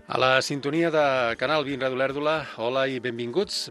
A la sintonia de Canal 20 Ràdio Lèrdula, hola i benvingudes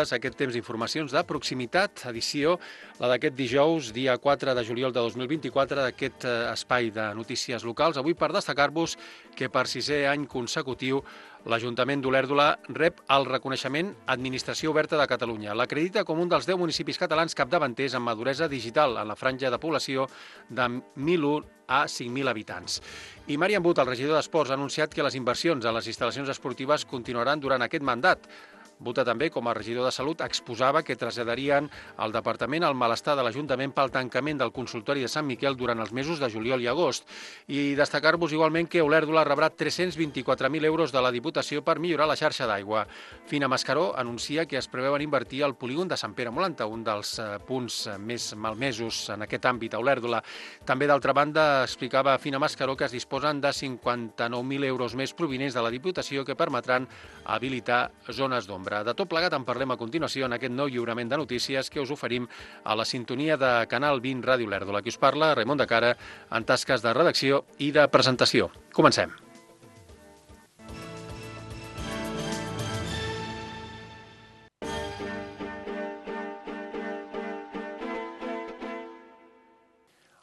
a aquest temps d'informacions de proximitat, edició, la d'aquest dijous, dia 4 de juliol de 2024, d'aquest espai de notícies locals. Avui per destacar-vos que per 6è any consecutiu l'Ajuntament d'Olèrdola rep el reconeixement Administració Oberta de Catalunya. L'acredita com un dels 10 municipis catalans capdavanters en maduresa digital en la franja de població de 1.001 a 5.000 habitants. I Marian But, el regidor d'Esports, ha anunciat que les inversions en les instal·lacions esportives continuaran durant aquest mandat. Buta també, com a regidor de Salut, exposava que traslladarien al Departament el malestar de l'Ajuntament pel tancament del consultori de Sant Miquel durant els mesos de juliol i agost. I destacar-vos igualment que Olèrdola rebrà 324.000 euros de la Diputació per millorar la xarxa d'aigua. Fina Mascaró anuncia que es preveuen invertir al polígon de Sant Pere Molanta, un dels punts més malmesos en aquest àmbit a Olèrdola. També, d'altra banda, explicava Fina Mascaró que es disposen de 59.000 euros més provinents de la Diputació que permetran habilitar zones d'ombra. De tot plegat en parlem a continuació en aquest nou lliurament de notícies que us oferim a la sintonia de Canal 20 Ràdio Lèrdula. Aquí us parla Raimon de Cara en tasques de redacció i de presentació. Comencem.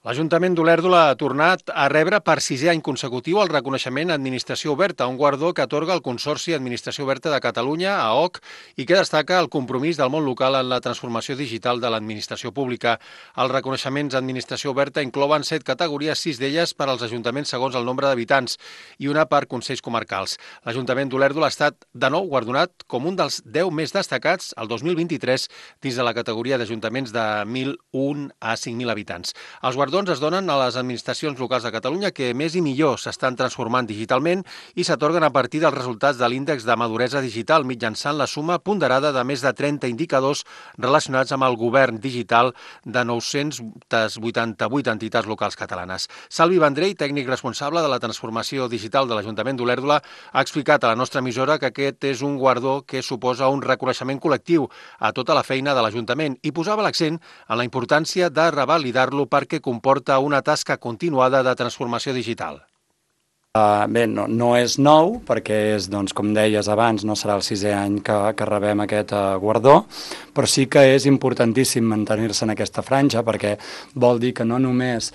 L'Ajuntament d'Olèrdola ha tornat a rebre per 6è any consecutiu el reconeixement Administració Oberta, un guardó que atorga el Consorci Administració Oberta de Catalunya, AOC, i que destaca el compromís del món local en la transformació digital de l'administració pública. Els reconeixements Administració Oberta inclouen 7 categories, 6 d'elles per als ajuntaments segons el nombre d'habitants i una per consells comarcals. L'Ajuntament d'Olèrdola ha estat de nou guardonat com un dels 10 més destacats el 2023 dins de la categoria d'ajuntaments de 1.001 a 5.000 habitants. Els guardons es donen a les administracions locals de Catalunya que més i millor s'estan transformant digitalment i s'atorguen a partir dels resultats de l'índex de maduresa digital mitjançant la suma ponderada de més de 30 indicadors relacionats amb el govern digital de 988 entitats locals catalanes. Salvi Vendrell, tècnic responsable de la transformació digital de l'Ajuntament d'Olèrdola, ha explicat a la nostra emissora que aquest és un guardó que suposa un reconeixement col·lectiu a tota la feina de l'Ajuntament i posava l'accent en la importància de revalidar-lo perquè comporta una tasca continuada de transformació digital. Bé, no és nou, perquè és, doncs, com deies abans, no serà el 6è any que rebem aquest guardó, però sí que és importantíssim mantenir-se en aquesta franja, perquè vol dir que no només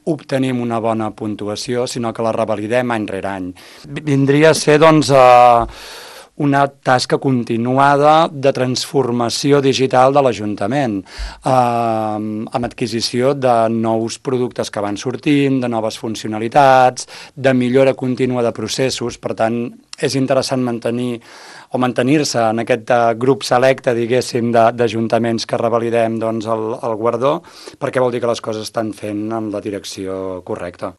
obtenim una bona puntuació, sinó que la revalidem any rere any. Vindria a ser, doncs, una tasca continuada de transformació digital de l'Ajuntament, amb adquisició de nous productes que van sortint, de noves funcionalitats, de millora contínua de processos. Per tant, és interessant mantenir-se en aquest grup selecte, diguéssim, d'ajuntaments que revalidem, doncs, el guardó, perquè vol dir que les coses estan fent en la direcció correcta.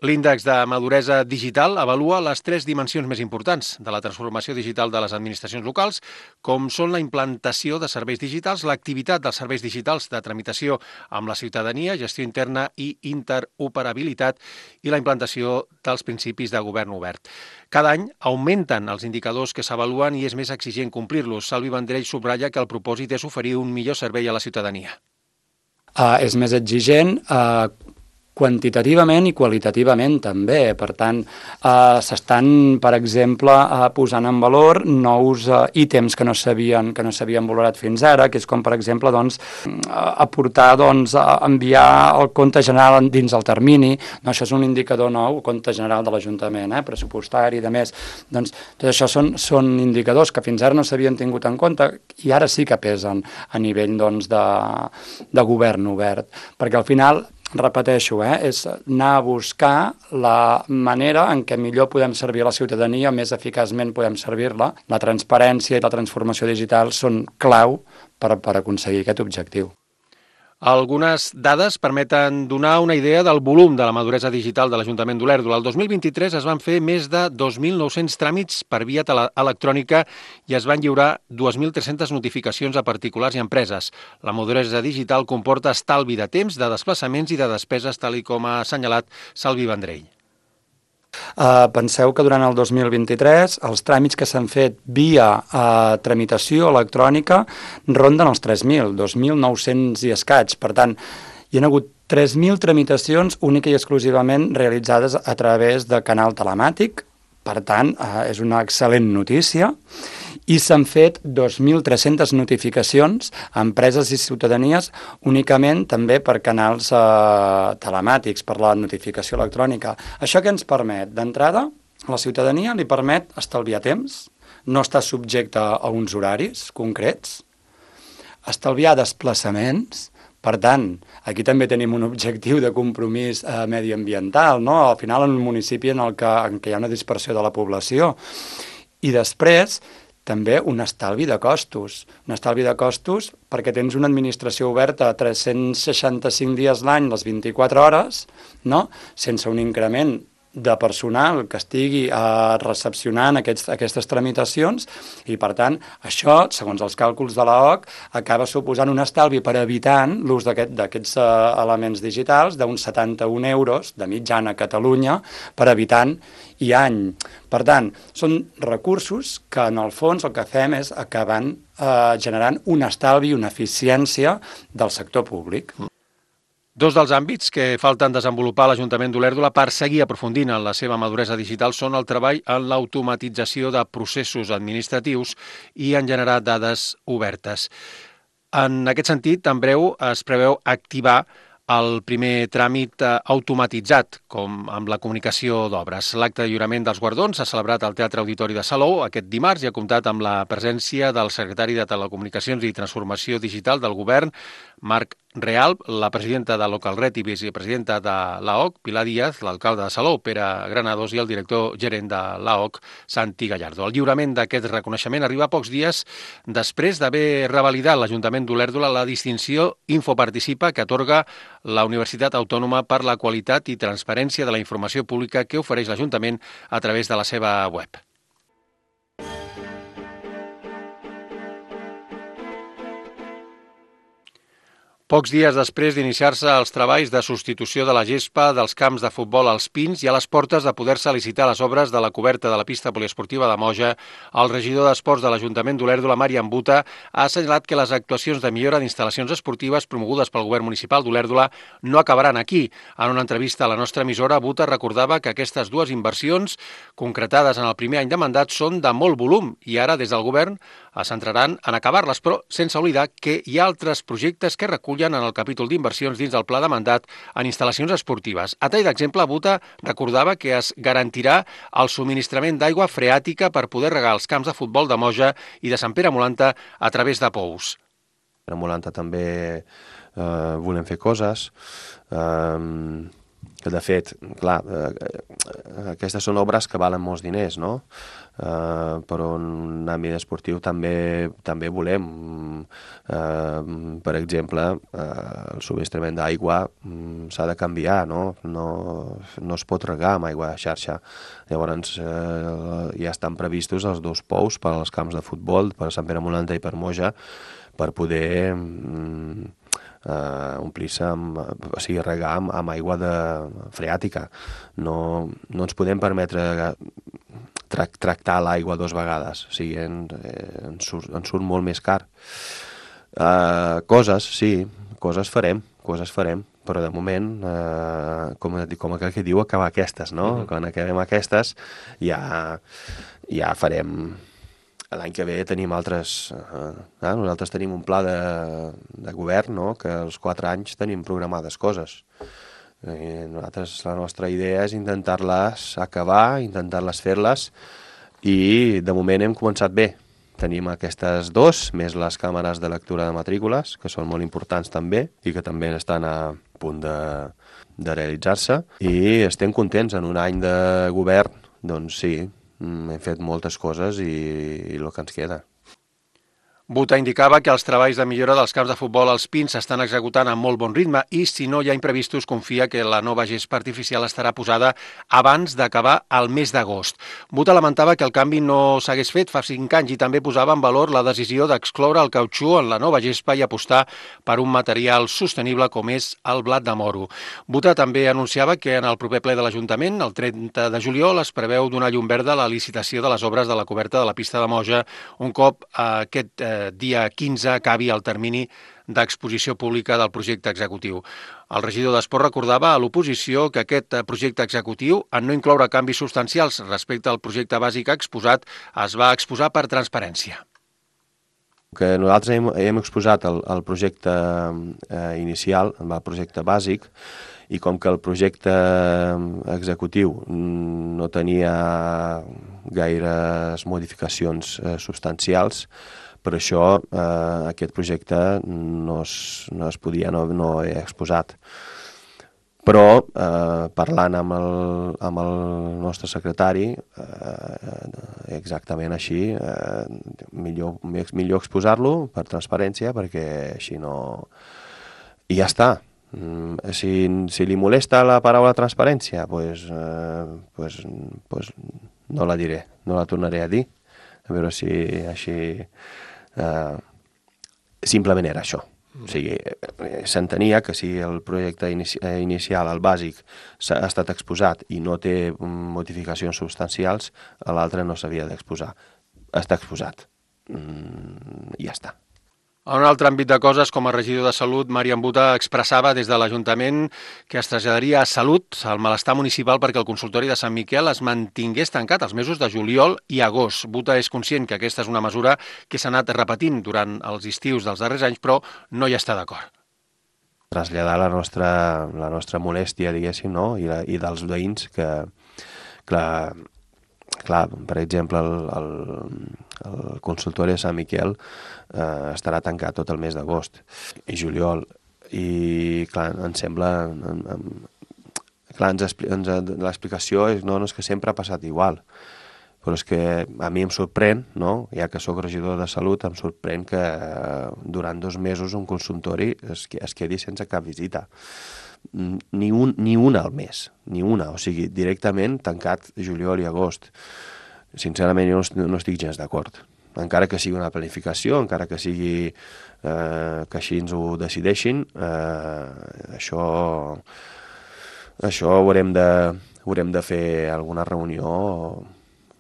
L'índex de maduresa digital avalua les 3 dimensions més importants de la transformació digital de les administracions locals, com són la implantació de serveis digitals, l'activitat dels serveis digitals de tramitació amb la ciutadania, gestió interna i interoperabilitat i la implantació dels principis de govern obert. Cada any augmenten els indicadors que s'avaluen i és més exigent complir-los. Salvi Vendrell subratlla que el propòsit és oferir un millor servei a la ciutadania. És més exigent, quantitativament i qualitativament també. Per tant, s'estan, per exemple, posant en valor nous ítems que no s'havien valorat fins ara, que és com, per exemple, doncs, aportar, doncs, enviar el compte general dins el termini. No, això és un indicador nou, el compte general de l'Ajuntament, pressupostari i de més. Doncs, tot això són indicadors que fins ara no s'havien tingut en compte i ara sí que pesen a nivell, doncs, de govern obert. Perquè al final, repeteixo, és anar a buscar la manera en què millor podem servir a la ciutadania, més eficaçment podem servir-la. La transparència i la transformació digital són clau per aconseguir aquest objectiu. Algunes dades permeten donar una idea del volum de la maduresa digital de l'Ajuntament d'Olèrdola. El 2023 es van fer més de 2.900 tràmits per via electrònica i es van lliurar 2.300 notificacions a particulars i empreses. La maduresa digital comporta estalvi de temps, de desplaçaments i de despeses, tal com ha assenyalat Salvi Vendrell. Penseu que durant el 2023 els tràmits que s'han fet via tramitació electrònica ronden els 3.000, 2.900 i escaig. Per tant, hi ha hagut 3.000 tramitacions única i exclusivament realitzades a través de canal telemàtic, Per tant, és una excel·lent notícia i s'han fet 2.300 notificacions a empreses i ciutadanies únicament també per canals telemàtics, per la notificació electrònica. Això què ens permet? D'entrada, a la ciutadania li permet estalviar temps, no estar subjecte a uns horaris concrets, estalviar desplaçaments. Per tant, aquí també tenim un objectiu de compromís mediambiental, no? Al final, en un municipi en què hi ha una dispersió de la població. I després, també un estalvi de costos. Un estalvi de costos perquè tens una administració oberta 365 dies l'any, les 24 hores, no? Sense un increment de personal que estigui recepcionant aquestes tramitacions i, per tant, això, segons els càlculs de l'AOC, acaba suposant un estalvi per habitant l'ús d'aquests elements digitals d'uns 71 euros de mitjana a Catalunya per habitant i any. Per tant, són recursos que, en el fons, el que fem és acabar generant un estalvi i una eficiència del sector públic. Dos dels àmbits que falten desenvolupar a l'Ajuntament d'Olèrdola per seguir aprofundint en la seva maduresa digital són el treball en l'automatització de processos administratius i en generar dades obertes. En aquest sentit, en breu es preveu activar el primer tràmit automatitzat, com amb la comunicació d'obres. L'acte de lliurament dels guardons s'ha celebrat al Teatre Auditori de Salou aquest dimarts i ha comptat amb la presència del secretari de Telecomunicacions i Transformació Digital del Govern, Marc Real, la presidenta de Localret i vicepresidenta de l'AOC, Pilar Díaz, l'alcalde de Salou, Pere Granados, i el director gerent de l'AOC, Santi Gallardo. El lliurament d'aquest reconeixement arriba pocs dies després d'haver revalidat l'Ajuntament d'Olèrdola la distinció Infoparticipa que atorga la Universitat Autònoma per la qualitat i transparència de la informació pública que ofereix l'Ajuntament a través de la seva web. Pocs dies després d'iniciar-se els treballs de substitució de la gespa dels camps de futbol als Pins i a les portes de poder-se licitar les obres de la coberta de la pista poliesportiva de Moja, el regidor d'Esports de l'Ajuntament d'Olèrdola, Marian Buta, ha assenyalat que les actuacions de millora d'instal·lacions esportives promogudes pel govern municipal d'Olèrdola no acabaran aquí. En una entrevista a la nostra emissora, Buta recordava que aquestes dues inversions, concretades en el primer any de mandat, són de molt volum i ara, des del govern, es centraran en acabar-les, però sense oblidar que hi ha altres projectes que recullen en el capítol d'inversions dins del pla de mandat en instal·lacions esportives. A tall d'exemple, Buta recordava que es garantirà el subministrament d'aigua freàtica per poder regar els camps de futbol de Moja i de Sant Pere Molanta a través de pous. A Molanta també volem fer coses. De fet, clar, aquestes són obres que valen molts diners, no? Però en un àmbit esportiu també volem. Per exemple, el subministrament d'aigua s'ha de canviar, no? No es pot regar amb aigua de xarxa. Llavors ja estan previstos els dos pous per als camps de futbol, per Sant Pere Molanta i per Moja, per poder omplir-se, o sigui, regar amb aigua freàtica. No ens podem permetre tractar l'aigua dues vegades, o sigui, ens surt molt més car. Coses farem, però de moment, com aquell que diu, acabar aquestes, no? Quan acabem aquestes ja farem. L'any que ve tenim altres. Nosaltres tenim un pla de govern, no? Que als 4 anys tenim programades coses. Nosaltres, la nostra idea és intentar-les acabar, intentar-les fer-les, i de moment hem començat bé. Tenim aquestes dos, més les càmeres de lectura de matrícules, que són molt importants també, i que també estan a punt de realitzar-se, i estem contents. En un any de govern, doncs sí, hem fet moltes coses i el que ens queda. Buta indicava que els treballs de millora dels camps de futbol als Pins s'estan executant amb molt bon ritme i, si no hi ha imprevistos, confia que la nova gespa artificial estarà posada abans d'acabar el mes d'agost. Buta lamentava que el canvi no s'hagués fet fa 5 anys i també posava en valor la decisió d'excloure el cautxú en la nova gespa i apostar per un material sostenible com és el blat de moro. Buta també anunciava que en el proper ple de l'Ajuntament, el 30 de juliol, es preveu donar llum verda a la licitació de les obres de la coberta de la pista de Moja un cop aquest dia 15 acabi el termini d'exposició pública del projecte executiu. El regidor d'Esport recordava a l'oposició que aquest projecte executiu, en no incloure canvis substancials respecte al projecte bàsic exposat, es va exposar per transparència. Que nosaltres hem exposat el projecte inicial, el projecte bàsic, i com que el projecte executiu no tenia gaires modificacions substancials, per això aquest projecte no he exposat. Però parlant amb el nostre secretari, exactament així, millor exposar-lo per transparència, perquè així no... I ja està. Si li molesta la paraula transparència, pues no la diré, no la tornaré a dir. A veure si així... Simplement era això. O sigui, s'entenia que si el projecte inicial, el bàsic, ha estat exposat i no té modificacions substancials, l'altre no s'havia d'exposar. Està exposat. I ja està. En un altre àmbit de coses, com a regidor de Salut, Marian Buta expressava des de l'Ajuntament que es traslladaria a Salut el malestar municipal perquè el consultori de Sant Miquel es mantingués tancat els mesos de juliol i agost. Buta és conscient que aquesta és una mesura que s'ha anat repetint durant els estius dels darrers anys, però no hi està d'acord. Traslladar la nostra molèstia, diguéssim, no? I dels veïns que, clar, per exemple, el consultori de Sant Miquel estarà tancat tot el mes d'agost i juliol. I, clar, em sembla... Clar, l'explicació és que sempre ha passat igual. Però és que a mi em sorprèn, no? Ja que sóc regidor de Salut, em sorprèn que durant 2 mesos un consultori es quedi sense cap visita. Ni una al mes, ni una. O sigui, directament tancat juliol i agost. Sincerament, jo no estic gens d'acord. Encara que sigui una planificació, encara que sigui que així ens ho decideixin, això haurem de fer alguna reunió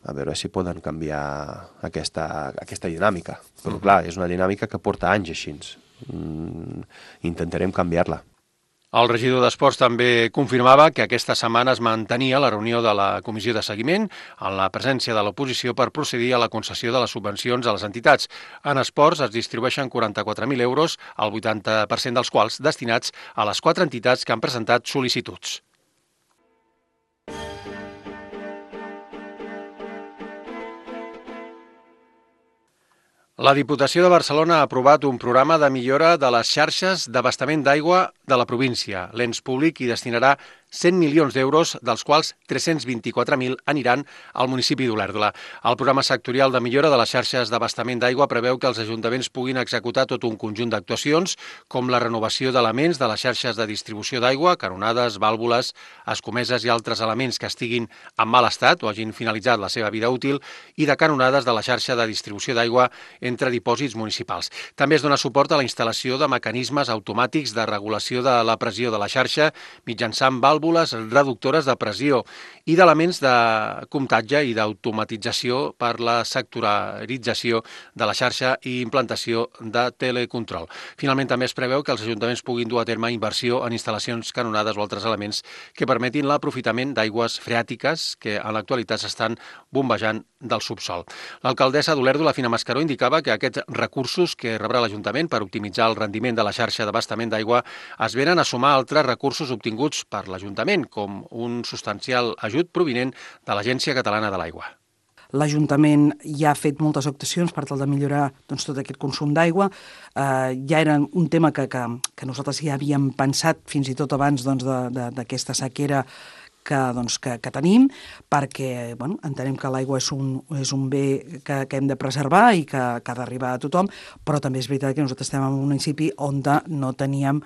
a veure si poden canviar aquesta dinàmica. Però clar, és una dinàmica que porta anys així. Intentarem canviar-la. El regidor d'Esports també confirmava que aquesta setmana es mantenia la reunió de la comissió de seguiment en la presència de l'oposició per procedir a la concessió de les subvencions a les entitats. En esports es distribueixen 44.000 euros, el 80% dels quals destinats a les 4 entitats que han presentat sol·licituds. La Diputació de Barcelona ha aprovat un programa de millora de les xarxes d'abastament d'aigua de la província. L'ens públic hi destinarà 100 milions d'euros, dels quals 324.000 aniran al municipi d'Olèrdola. El programa sectorial de millora de les xarxes d'abastament d'aigua preveu que els ajuntaments puguin executar tot un conjunt d'actuacions, com la renovació d'elements de les xarxes de distribució d'aigua, canonades, vàlvules, escomeses i altres elements que estiguin en mal estat o hagin finalitzat la seva vida útil, i de canonades de la xarxa de distribució d'aigua entre dipòsits municipals. També es dona suport a la instal·lació de mecanismes automàtics de regulació de la pressió de la xarxa mitjançant vàlvules reductores de pressió i d'elements de comptatge i d'automatització per la sectorització de la xarxa i implantació de telecontrol. Finalment, també es preveu que els ajuntaments puguin dur a terme inversió en instal·lacions canonades o altres elements que permetin l'aprofitament d'aigües freàtiques que en l'actualitat s'estan bombejant del subsol. L'alcaldessa d'Olèrdola, Fina Mascaró, indicava que aquests recursos que rebrà l'Ajuntament per optimitzar el rendiment de la xarxa d'abastament d'aigua es venen a sumar altres recursos obtinguts per l'Ajuntament, com un substancial ajut provinent de l'Agència Catalana de l'Aigua. L'Ajuntament ja ha fet moltes actuacions per tal de millorar tot aquest consum d'aigua. Ja era un tema que nosaltres ja havíem pensat fins i tot abans d'aquesta sequera que tenim, perquè entenem que l'aigua és un bé que hem de preservar i que ha d'arribar a tothom, però també és veritat que nosaltres estem en un municipi on no teníem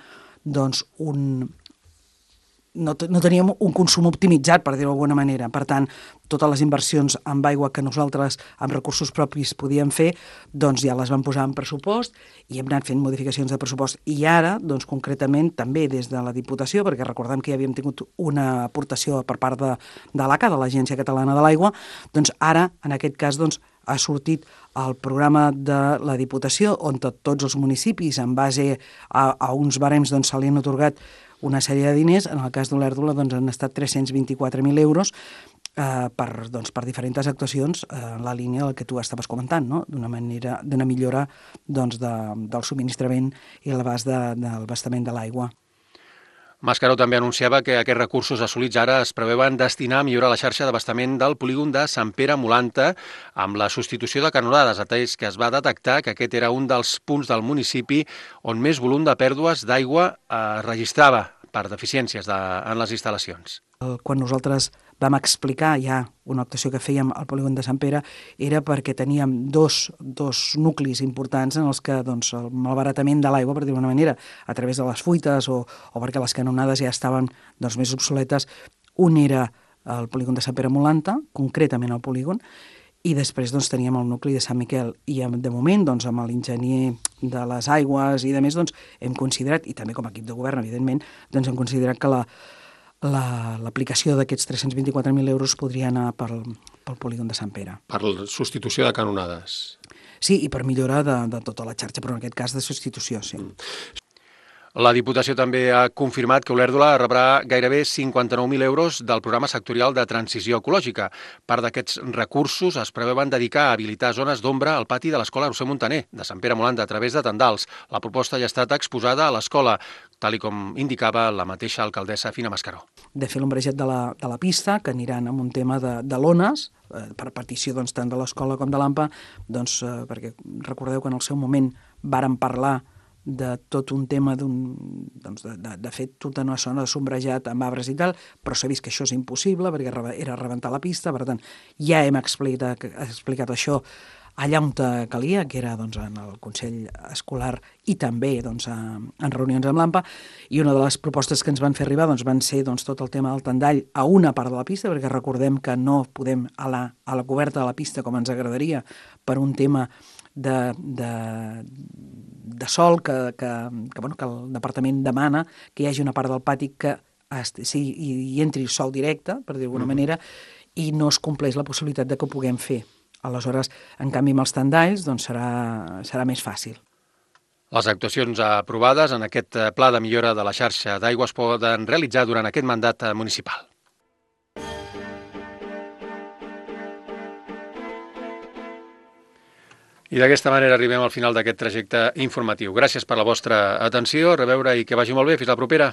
un consum optimitzat, per dir-ho d'alguna manera. Per tant, totes les inversions amb aigua que nosaltres amb recursos propis podíem fer, ja les vam posar en pressupost i hem anat fent modificacions de pressupost. I ara, concretament, també des de la Diputació, perquè recordem que ja havíem tingut una aportació per part de l'ACA, de l'Agència Catalana de l'Aigua, ara, en aquest cas, ha sortit el programa de la Diputació, on tots els municipis, en base a uns barems, doncs, se li han atorgat una sèrie de diners. En el cas d'Olèrdola doncs, han estat 324.000 euros per diferents actuacions en la línia del que tu estaves comentant, no? D'una millora doncs, del subministrament i l'abast del abastament de l'aigua. Mascaró també anunciava que aquests recursos assolits ara es preveuen destinar a millorar la xarxa d'abastament del polígon de Sant Pere Molanta amb la substitució de canonades, atès que es va detectar que aquest era un dels punts del municipi on més volum de pèrdues d'aigua es registrava per deficiències en les instal·lacions. Quan nosaltres vam explicar ja una actuació que fèiem al polígon de Sant Pere era perquè teníem dos nuclis importants en els que doncs, el malbaratament de l'aigua, per dir d'una manera, a través de les fuites o perquè les canonades ja estaven doncs, més obsoletes. Un era el polígon de Sant Pere Molanta, concretament el polígon, i després doncs, teníem el nucli de Sant Miquel. I de moment, doncs, amb l'enginyer de les aigües i de més, doncs, hem considerat, i també com a equip de govern, evidentment, doncs, hem considerat que l'aplicació d'aquests 324.000 euros podria anar pel polígon de Sant Pere. Per la substitució de canonades. Sí, i per millora de tota la xarxa, però en aquest cas de substitució, sí. La Diputació també ha confirmat que Olèrdola rebrà gairebé 59.000 euros del programa sectorial de transició ecològica. Part d'aquests recursos es preveuen dedicar a habilitar zones d'ombra al pati de l'Escola Roser Montaner, de Sant Pere Molanta, a través de Tendals. La proposta ja ha estat exposada a l'escola, tal com indicava la mateixa alcaldessa Fina Mascaró. De fer l'ombrejat de la pista, que aniran amb un tema de lones, per petició doncs, tant de l'escola com de l'AMPA, doncs, perquè recordeu que en el seu moment vàrem parlar de tot un tema de fer tota una zona de sombrejat amb arbres i tal, però s'ha vist que això és impossible perquè era rebentar la pista, per tant, ja hem explicat això allà on calia, que era doncs, en el Consell Escolar i també doncs, en reunions amb l'AMPA, i una de les propostes que ens van fer arribar doncs, van ser doncs, tot el tema del tendall a una part de la pista, perquè recordem que no podem a la coberta de la pista com ens agradaria per un tema de sol que el departament demana que hi hagi una part del pati que hi entri sol directe, per dir d'alguna manera, i no es compleix la possibilitat de que ho puguem fer. Aleshores, en canvi, amb els tendalls doncs serà més fàcil. Les actuacions aprovades en aquest pla de millora de la xarxa d'aigua es poden realitzar durant aquest mandat municipal. I d'aquesta manera arribem al final d'aquest trajecte informatiu. Gràcies per la vostra atenció, a reveure i que vagi molt bé. Fins la propera.